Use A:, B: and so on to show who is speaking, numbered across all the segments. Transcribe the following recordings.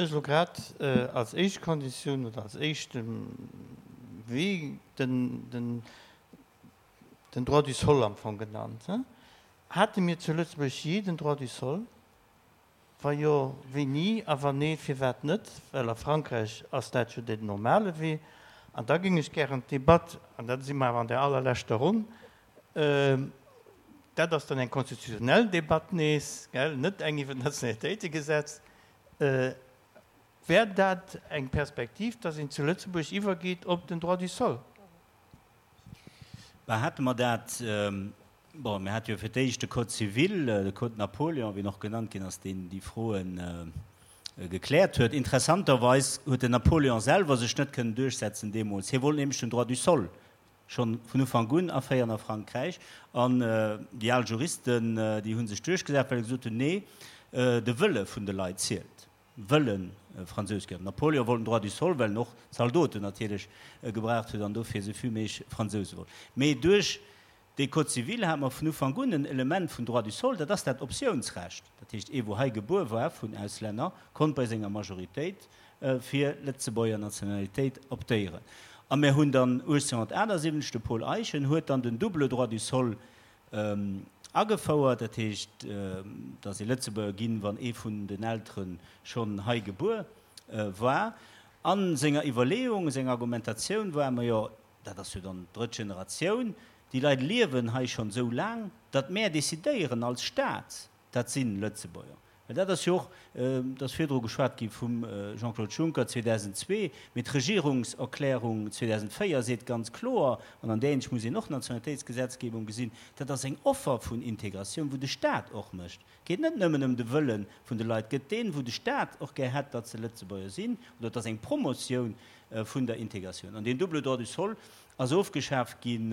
A: Du hues elo grad als éischt Konditioun oder als éischte Wee den Droit du sol am Fong genannt. Hate mir zu Lëtzebuerg jee den Droit du sol? Wa jo, wéini? A wann nee, firwat net? Well a Frankräich ass dat jo den normale Wee. An da géing ech gären d'Debatt, an da si mer awer an der allerleschter Ronn, dat ass dann eng konstitutionell Debatt nees, gell, net eng iwwer d'Nationalitéitegesetz, Wär dat eng Perspektiv, dass een zu Lëtzebuerg iwwergeet op den Droit du sol?
B: Bah, hate mer dat, bon, mir hate jo fir d'éischt de Code civil, de Code Napoléon, wéi en och genannt ginn ass, deen déi Froe gekläert huet. Interessanterweis huet den Napoléon selwer sech net kënnen duerchsetzen deemools. Hie wollt nämlech den Droit du sol Schonn vun Ufank un aféieren a Frankräich. An déi al Juristen, déi hu sech duerchgesat, well se gesot hunn, Nee, de Wëlle vun de Leit zielt. Wëlle Fransous ginn. Napoleon wollt den Droit du sol, well en och Zaldoten natierlech gebraucht huet an dofir esou vill méiglech Fransouse wollt. Mee duerch dee Code civil hate mer vun Ufank un en Element vun Droit du sol, dat ass dat Optiounsrecht. Dat heescht, ee wou hei gebuer war vun Auslänner, konnt bei senger Majoritéit fir Lëtzebuerger Nationalitéit optéieren. A mir hunn dann 1878, de Paul Eyschen huet dann den double droit du sol agefouert, dat heescht, datt ee Lëtzebuerger ginn, wann ee vun den Eltere schonn hei gebuer war. A senger Iwwerleeung, senger Argumentatioun war, majo, dat ass jo dann d'drëtt Generatioun, déi Leit liewen hei schonn esou laang, datt mär decidéieren als Staat, Dat si Lëtzebuerger. Well dat ass jo och, et ass virdru geschwat gi vum Jean-Claude Juncker 2002, mee d'Regierungserklärung 2004 seet ganz kloer, an an där Hinsicht muss een och d'Nationalitéitsgesetzgebung gesinn, dat ass eng Offer vun Integratioun, wou de Stat och mécht. Et geet net nëmmen ëm de Wëlle vun de Leit, et gëtt deen, wou de Stat och gär hätt, datt se Lëtzebuerger sinn, oder et ass eng Promotioun vun der Integratioun. An deen double droit du sol Ass ofgeschaf ginn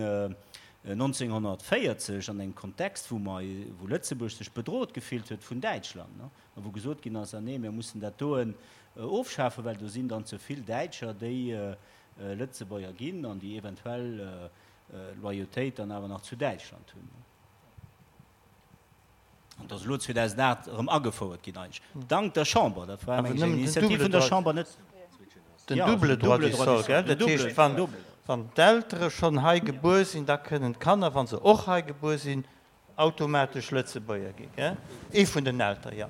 B: 1940 an engem Kontext, wou mer, wou Lëtzebuerg sech bedroht gefillt huet vun Däitschland, a wou gesot ginn ass, ah nee, mir mussen dat doen ofschafen, well do sinn dann ze vill Däitscher, déi Lëtzebuerger ginn an déi eventuell Loyautéit dann awer nach zu Däitschland hunn. An et ass elo 2008 erëm agefouert ginn, eigentlech dank der Chamber. Dat war eng Initiativ vun der Chamber, net
A: den double droit du sol, gell? Dat heescht, wann, wann d'Eltere schonn hei gebuer sinn, da kënnen d'Kanner, wa se och hei gebuer sinn, automatesch Lëtzebuerger ginn, gell? Ee vun den Eltere, jo.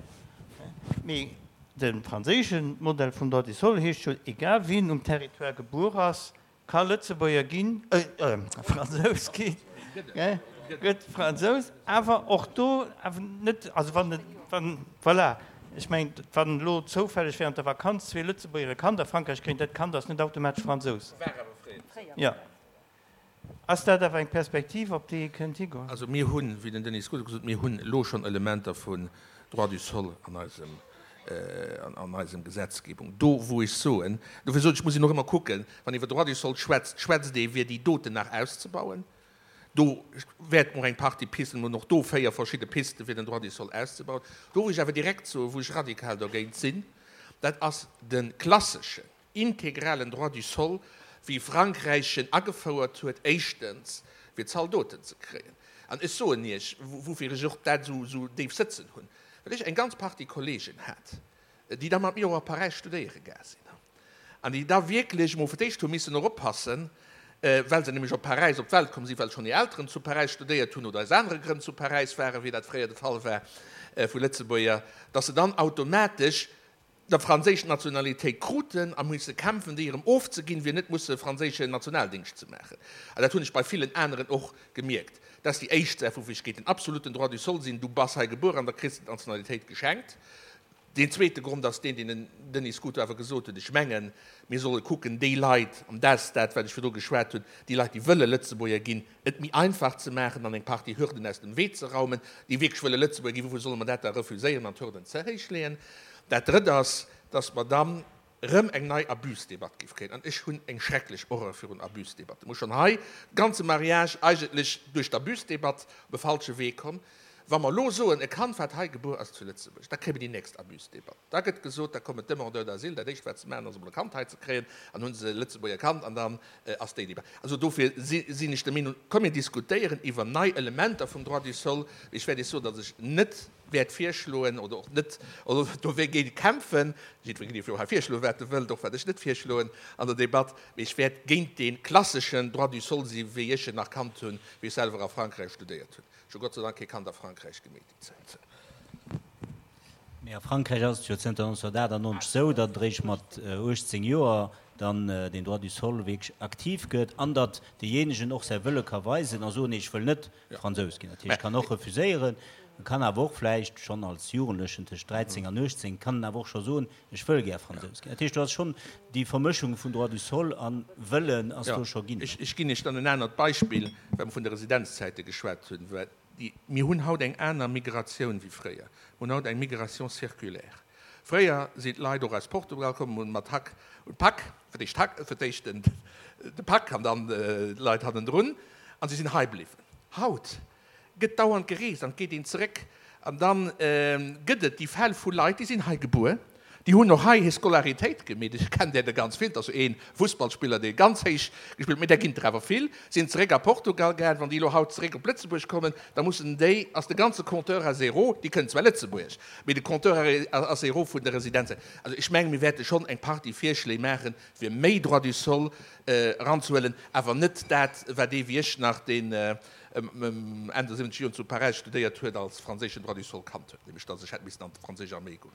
A: Mee de franséische Modell vum droit du sol heescht jo, egal wien um Territoire gebuer ass, Ka Lëtzebuerger ginn, Fransous ginn, gëtt Fransous, awer och do awer net, also wann, wann, voilà, ech mengen, wann elo zoufälleg während der Vakanz zwee Lëtzebuerger e Kand a Frankräich kréien, dat Kand ass net automatesch Fransous.
C: War awer fréier.
A: Jo. Ass dat awer eng Perspektiv, op déi ee kënnt higoen?
C: Also mir hunn, wéi den Denis Scuto gesot huet, mir hunn elo schonn Elementer vun Droit du sol an eisem, an eisem Gesetzgebung. Do wou ech soen, dofir sot ech, muss een och ëmmer kucken, wann iwwer Droit du sol schwätzt, schwätzt ee fir déi doten nach auszebauen. Do wäerte mer och eng Partie Pisten, mir hunn och do 4 verschidde Pisten, fir den Droit du sol auszebauen. Do wou ech awer direkt soen, wou ech radikal dergéint sinn, dat ass de klasseschen, integralen Droit du sol, wéi Frankräich en agefouert huet, éischtens fir Zaldoten ze kréien. An ech soen Iech, woufir ech och dat esou déif sëtzen hunn, well ech eng ganz Partie Kollegen hat, déi da mat mir och a Paräis studéiere gaang sinn an déi da wierklech emol fir d'éischt hu missen eroppassen, well se nämlech op Paräis op d'Welt komm sinn, well schonn hir Elteren zu Paräis studéiert hunn oder aus anere Grënn zu Paräis waren, wéi dat fréier de Fall war vu Lëtzebuerger, dass se dann automatesch der franséisch Nationalitéit kruten a musse kämpfen, déi erëm ofzeginn, fir net musse franséischen Nationaldingscht ze maachen. An dat hunn ech bei villen aneren och gemierkt. Dat ass déi éischt Saach, woufir ech géint den absoluten Droit du sol sinn, Du bass hei gebuer an da kriss de d'Nationalitéit geschenkt. Deen zweete Grond ass deen, deen den Denis Scuto awer gesot huet. Ech mengen, mir solle kucken, déi Leit, an dat ass dat, wat ech virdru geschwat hunn, déi Leit, déi wëlle Lëtzebuerger ginn, et méi einfach ze maachen an eng Partie Hürden aus dem Wee ze raumen, déi wierklech wëlle Lëtzebuerger ginn, woufir solle mer dat da refuséieren an d'Hürden ze héich leeën? Dat Drëtt ass, dass mer dann erëm eng nei Abusdebatt géif kréien. An ech hunn eng schrecklech Horreur virun Abusdebatten. Ech hu schonn hei de ganze Mariage eigentlech duerch d'Abusdebatt op e falsche Wee komm. Wa mer elo soen, e Kand, wat hei gebuer ass zu Lëtzebuerg, da kréie mer déi nächst Abusdebatt. Da gëtt gesot, da kommen d'Demandeurs d'asile, dat éischt wat se maachen ass emol e Kand hei ze kréien, an hunn se e Lëtzebuerger Kand an dann ass déi Debatt. Also dofir sinn ech der Meenung, komm mir diskutéieren iwwer nei Elementer vum Droit du sol. Mee ech wäert Iech soen, datt ech net. wäert virschloen oder och net, oder dofir kämpfen, jiddweree dierf jo hei virschloen, wat e wëllt, och wat ech net virschloen an der Debatt, mee ech wäert géint dee klasseschen Droit du sol si wéi ech en nach kannt hunn, wéi ech selwer a Frankräich studéiert hunn. Ech hu Gott sei Dank kee Kand a Frankräich gemeet déi Zäit.
B: Mee a Frankräich ass et jo zënter 1998 esou, datt et eréischt mat 18 Joer dann den Droit du sol wierklech aktiv gëtt an datt deejéinegen och säi Wëlle ka weisen a soen, nee, ech wëll net Fransous ginn. Dat heescht, kann och refuséieren, e kann awer och vläicht schonn als Jugendlechen tëscht 13 an 18, kann en awer och scho soen, ech wëll gär Fransous ginn. Dat heescht, do ass schonn déi Vermëschung vun Droit du sol a Wëllen ass do scho ginn.
C: Ech ginn Iech dann en anert Beispill, well mer vun de Residenzzäite geschwat hunn. Mir hunn haut eng aner Migratioun wéi fréier. Mir hunn haut eng Migration circulaire. Fréier sinn d'Leit och aus Portugal komm, hunn mat Hack und Pack, fir d'éischt d'Hack, fir d'éischt den, de Pak an dann d'Leit hannendrun, an si sinn hei bliwwen. Haut gëtt dauernd gereest an et geet een zeréck. An da gëtt et déi Fäll vu Leit, déi sinn hei gebuer, déi hunn och hei hir Scolaritéit gemeet, ech kennen där der ganz vill, et ass jo ee Fussballspiller, dee ganz héich gespillt huet, mee där ginn der awer vill, sinn zeréck a Portugal gaang. Wann déi elo haut zeréck op Lëtzebuerg kommen, da mussen déi, ass de ganze Compteur à zéro, déi kënnen zwar Lëtzebuergesch, mee de Compteur à zéro vun der Residenz. Also ech mengen, mir wäerte schonn eng Partie Virschléi maachen, fir méi Droit du sol eranzehuelen, awer net dat, wat ee wéi ech nach, deen Enn der 70 Joren zu Paräis studéiert huet, als franséischen Droit du sol kannt huet, nämlech datt ech hätt missen an d'franséisch Arméi goen.